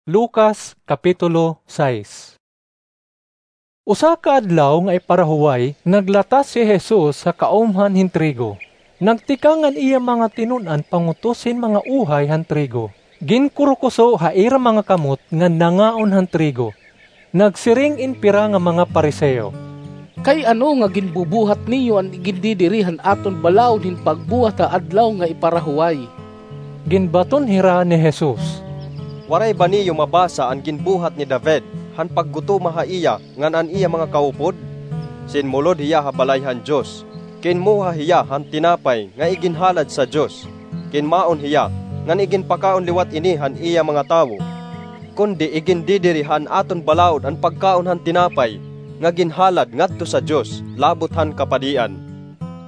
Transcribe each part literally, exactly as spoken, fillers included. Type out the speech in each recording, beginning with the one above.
Lucas, Kapitulo sais. Usa ka adlaw nga iparahuway, naglatas hi Jesus ha kaumhan hin trigo. Nagtikang an iya mga tinun-an pangutos hin mga uhay han trigo. Ginkurukuso ha ira mga kamot ngan nangaon han trigo. Nagsiring in pira nga mga Fariseo, "Kay ano nga ginbubuhat niyo an igindidiri han aton balaod hin pagbuhat ha Adlaw nga Iparahuway?" Ginbaton hira ni Jesus, "Waray ba niyo mabasa an ginbuhat ni David han paggutoma ha iya ngan an iya mga kaupod? Sinmulod hiya ha balay han Dios, kinmuha hiya han tinapay nga iginhalad sa Dios, kinmaon hiya, ngan iginpakaon liwat ini han iya mga tawo. Kundi igindidiri han aton balaod an pagkaon han tinapay nga ginhalad ngadto sa Dios labot han kapadian."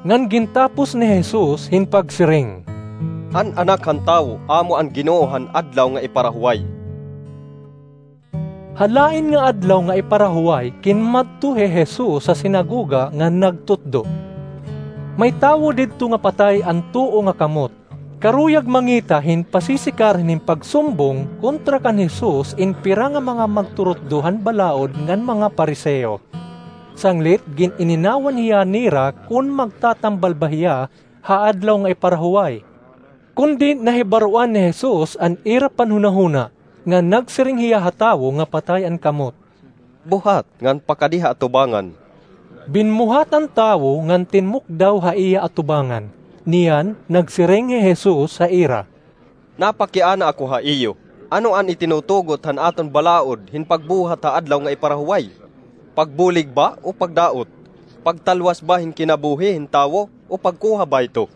Ngan gintapos ni Jesus hin pagsiring, "An Anak han Tawo amo an Ginoo han Adlaw nga Iparahuway." Ha lain nga Adlaw nga Iparahuway, kinmadto hi Jesus ha sinagoga ngan nagtutdo. May tawo didto nga patay an tuo nga kamot. Karuyag mangita hin pasisikarhi hin pagsumbong kontra kan Jesus in pira nga mga magturutdo han balaod ngan mga Fariseo. Sanglit, gin-ininawan hiya nira kon magtatambal ba hiya ha Adlaw nga Iparahuway. Kundi nahibaroan ni Jesus an ira panhunahuna, ngan nagsiring hiya ha tawo nga patay an kamot, "Buhat ngan pakadi ha atubangan." Binmuhat an tawo ngan tinmukdaw ha iya atubangan. Niyan, nagsiring hi Jesus ha ira, "Napakiana ako ha iyo. Ano an itinutugot han aton balaod hin pagbuhat ha Adlaw nga Iparahuway? Pagbulig ba o pagdaot? Pagtalwas ba hin kinabuhi hin tawo o pagkuha bayto?"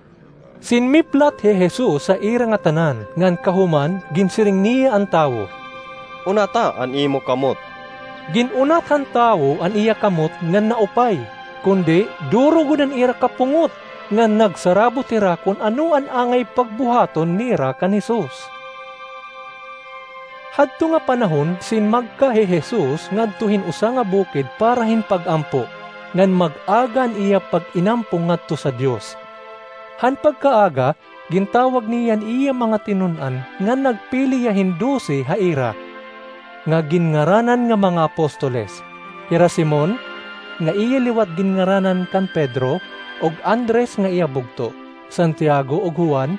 Sinmiplat hi Jesus ha ira ngatanan, ngan kahuman, ginsiring niya an tawo, "Unata an imo kamot." Gin-unat han tawo an iya kamot ngan naupay, kundi duro gud an ira kapungot, ngan nagsarabot hira kon ano an angay pagbuhaton nira kan Jesus. Hadto nga panahon, sinmagka hi Jesus ngadto hin usa nga bukid para hin pag-ampo, ngan mag-aga an iya pag-inampo ngadto sa Dios. Han pagkaaga, gintawag niya an iya mga tinun-an ngan nagpili hiya hin dose ha ira, nga ginngaranan nga mga apostoles, hira Simon, nga iya liwat ginngaranan kan Pedro, ug Andres nga iya bugto, Santiago ug Juan,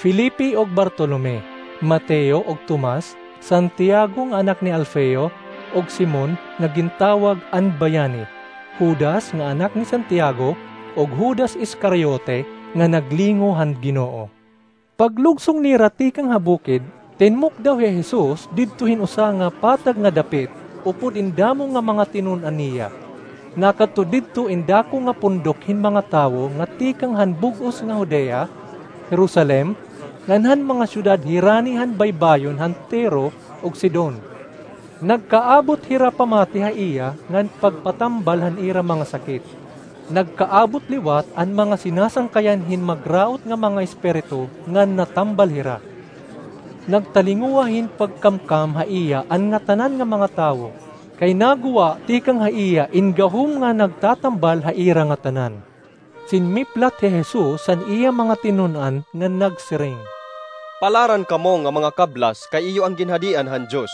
Felipe ug Bartolome, Mateo ug Tomas, Santiago nga anak ni Alfeo, ug Simon nga gintawag an Bayani, Judas nga anak ni Santiago, ug Judas Iscariote nga naglingo han Ginoo. Paglugsong nira tikang ha bukid, tinmukdaw hi Jesus didto hin usa nga patag nga dapit upod in damo nga mga tinun-an niya. Nakadto didto in dako nga pundok hin mga tawo nga tikang han bug-os nga Judea, Jerusalem, ngan han mga syudad hirani han baybayon han Tiro ug Sidon. Nagkaabot hira pamati ha iya ngan pagpatambal han ira mga sakit. Nagkaabot liwat an mga sinasangkayan hin magraot nga mga espiritu ngan natambal hira. Nagtalinguha hin pagkamkam ha iya an ngatanan nga mga tawo, kay naguwa tikang ha iya in gahom nga nagtatambal ha ira ngatanan. Sinmiplat hi Jesus han iya mga tinun-an ngan nagsiring, "Palaran kamo nga mga kablas, kay iyo an ginhadian han Dios.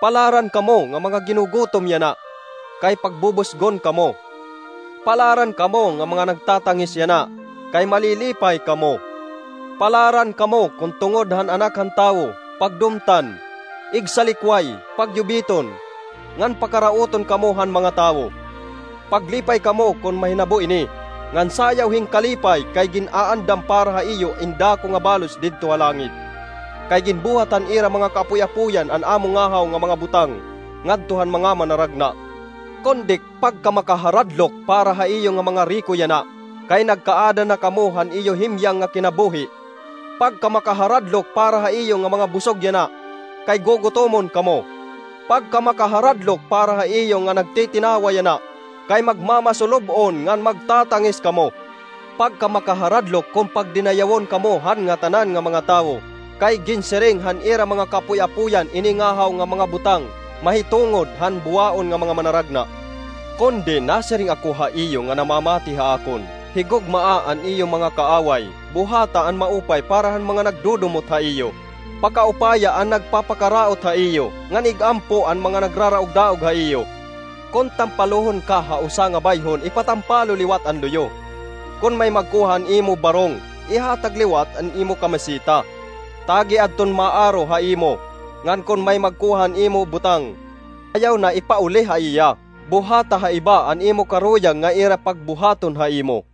Palaran kamo nga mga ginugutom yana, kay pagbubusgon kamo. Palaran kamo nga mga nagtatangis yana, kay malilipay kamo. Palaran kamo kon tungod han Anak han Tawo, pagdumtan, igsalikway, pagyubiton, ngan pakarauton kamo han mga tawo. Paglipay kamo kon mahinabo ini, ngan sayaw hin kalipay, kay gin-aandam para ha iyo in dako nga balos didto ha langit. Kay ginbuhat han ira mga kaapoy-apoyan an amo ngahaw nga mga butang ngadto han mga manaragna. Kundi pagkamakaharadlok para ha iyo nga mga riko yana, kay nagkaada na kamo han iyo himyang nga kinabuhi. Pagkamakaharadlok para ha iyo nga mga busog yana, kay gugutomon kamo. Pagkamakaharadlok para ha iyo nga nagtitinawa yana, kay magmamasulub-on ngan magtatangis kamo. Pagkamakaharadlok kon pagdinayawon kamo han ngatanan nga mga tawo, kay ginsiring han ira mga kaapoy-apoyan ini ngahaw nga mga butang mahitungod han buwaon nga mga manaragna. Kundi nasiring ako ha iyo nga namamati ha akon, higugmaa an iyo mga kaaway, buhata an maupay para han mga nagdudumot ha iyo. Pakaupaya an nagpapakaraot ha iyo, ngan ig-ampo an mga nagraraog-daog ha iyo. Kon tampalohon ka ha usa nga bayhon, ipatampalo liwat an luyo. Kon may magkuha han imo barong, ihatag liwat an imo kamiseta. Tagi adton maaro ha imo, ngan kon may magkuha han imo butang, ayaw na ipauli ha iya. Buhata ha iba an imo karuyag nga ira pagbuhaton ha imo.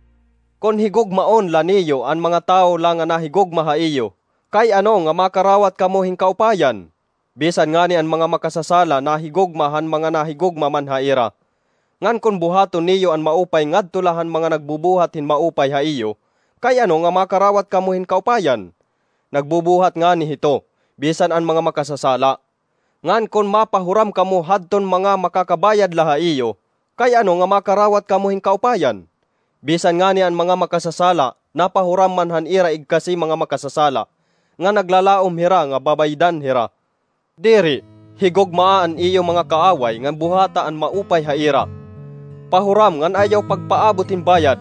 Kon higugmaon la niyo an mga tawo la nga nahigugma ha iyo, kay ano nga makarawat kamo hin kaupayan? Bisan ngani an mga makasasala nahigugma han mga nahigugma man ha ira. Ngan kon buhaton niyo an maupay ngadto la han mga nagbubuhat hin maupay ha iyo, kay ano nga makarawat kamo hin kaupayan? Nagbubuhat ngani hito, bisan an mga makasasala. Ngan kon mapahuram kamo hadton mga makakabayad la ha iyo, kay ano nga makarawat kamo hin kaupayan? Bisan ngani an mga makasasala napahuram man han ira igkasi mga makasasala, nga naglalaom hira nga babaydan hira. Diri, higugmaa an iyo mga kaaway ngan buhata an maupay ha ira. Pahuram ngan ayaw pagpaabot hin bayad.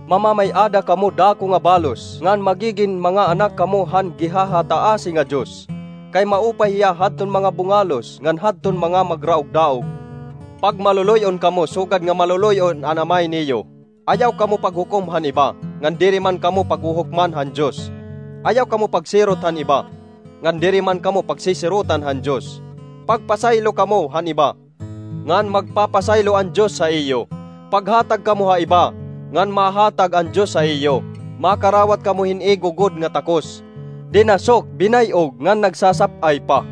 Mamamay-ada kamo dako nga balos, ngan magigin mga anak kamo han Gihahataasi nga Dios. Kay maupay hiya hadton mga bungalos ngan hadton mga magraog-daog. Pagmaluloy-on kamo sugad nga maluloy-on an Amay niyo. Ayaw kamo paghukom han iba, ngan diri man kamo paghuhukman han Dios. Ayaw kamo pagsirot han iba, ngan diri man kamo pagsisirotan han Dios. Pagpasaylo kamo han iba, ngan magpapasaylo an Dios ha iyo. Paghatag kamo ha iba, ngan mahatag an Dios ha iyo. Makarawat kamo hin igugod nga takos, dinasok, binay-og, ngan nagsasap-ay pa.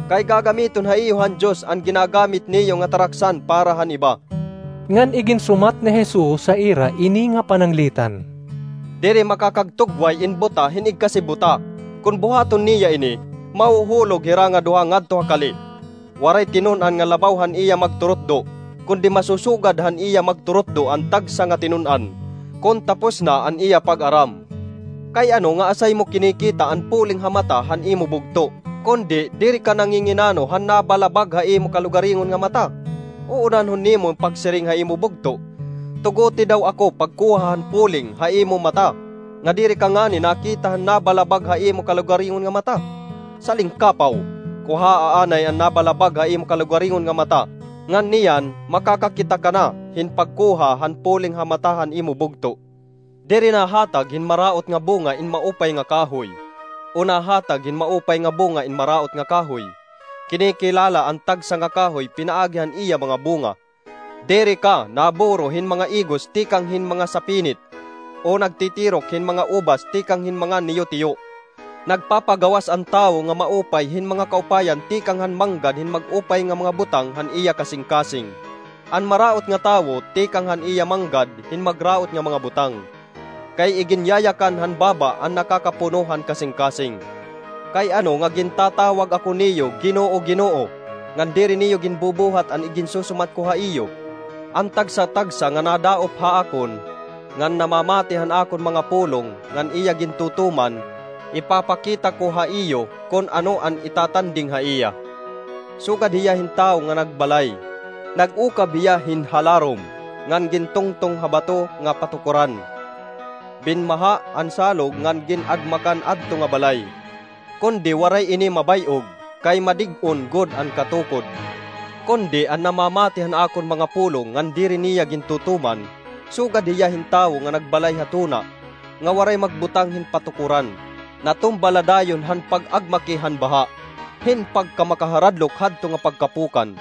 Kay gagamiton ha iyo han Dios an ginagamit niyo nga taraksan para han iba. Ngan iginsumat ni Jesus ha ira ini nga pananglitan, Diri makakagtugway in buta hin igkasi buta. Kon buhaton niya ini, mahuhulog hira nga duha ngadto ha kali. Waray tinun-an nga labaw han iya magturutdo, kundi masusugad han iya magturutdo an tagsa nga tinun-an, kon tapos na an iya pag-aram. Kay ano nga asay mo kinikita an puling ha mata han imo bugto, kundi diri ka nanginginano han nabalabag ha imo kalugaringon nga mata? Uunanhon nimo an pagsiring ha imo bugto, "Tuguti daw ako pagkuha han puling ha imo mata," nga diri ka ngani nakita han nabalabag ha imo kalugaringon nga mata? Salingkapaw! Kuhaa anay an nabalabag ha imo kalugaringon nga mata, ngan niyan makakakita ka na hin pagkuha han puling ha mata han imo bugto. Diri nahatag hin maraot nga bunga in maupay nga kahoy, o nahatag hin maupay nga bunga in maraot nga kahoy. Kinikilala an tagsa nga kahoy pinaagi han iya mga bunga. Diri ka naburo hin mga igos tikang hin mga sapinit, o nagtitirok hin mga ubas tikang hin mga niyotiyo. Nagpapagawas an tawo nga maupay hin mga kaupayan tikang han manggad hin mag-upay nga mga butang han iya kasingkasing. An maraot nga tawo tikang han iya manggad hin magraot nga mga butang. Kay iginyayakan han baba an nakakapuno han kasingkasing. Kay ano nga gintatawag ako niyo, 'Ginoo, Ginoo,' ngan diri niyo ginbubuhat an iginsusumat ko ha iyo? An tagsa-tagsa nga nadaop ha akon, ngan namamati han akon mga pulong, ngan iya gintutuman, ipapakita ko ha iyo kon ano an itatanding ha iya. Sugad hiya hin tawo nga nagbalay. Nag-ukab hiya hin halarom, ngan gintungtong ha bato nga patukoran. Binmaha an salog ngan gin-agmakan adto nga balay. Kundi waray ini mabay-og, kay madig-on gud an katukod. Kundi an namamati han akon mga pulong ngan diri niya gintutuman, sugad hiya hin tawo nga nagbalay ha tuna, nga waray magbutang hin patukoran. Natumba la dayon han pag-agmaki han baha, hin pagkamakaharadlok hadto nga pagkapukan.